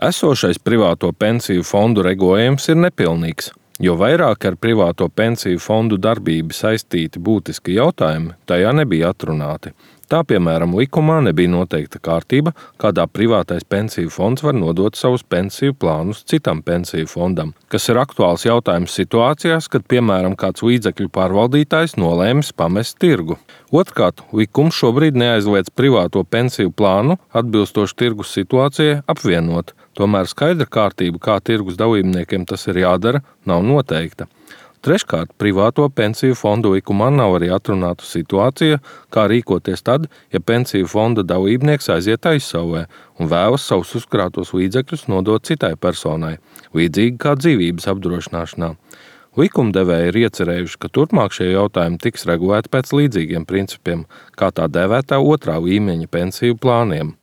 Esošais privāto pensiju fondu regulējums ir nepilnīgs, jo vairāk ar privāto pensiju fondu darbību saistīti būtiski jautājumi tajā nebija atrunāti. Tā, piemēram, likumā nebija noteikta kārtība, kādā privātais pensiju fonds var nodot savus pensiju plānus citam pensiju fondam, kas ir aktuāls jautājums situācijās, kad, piemēram, kāds līdzekļu pārvaldītājs nolēmis pamest tirgu. Otrkārt, likums šobrīd neaizliedz privāto pensiju plānu atbilstoši tirgus situācijai apvienot, tomēr skaidra kārtība, kā tirgus dalībniekiem tas ir jādara, nav noteikta. Treškārt, privāto pensiju fondu likumā nav arī atrunāta situācija, kā rīkoties tad, ja pensiju fonda dalībnieks aiziet aizsaulē un vēlas savus uzkrātos līdzekļus nodot citai personai, līdzīgi kā dzīvības apdrošināšanā. Likumdevēji ir iecerējuši, ka turpmāk šie jautājumi tiks regulēti pēc līdzīgiem principiem, kā tā dēvētā otrā līmeņa pensiju plāniem.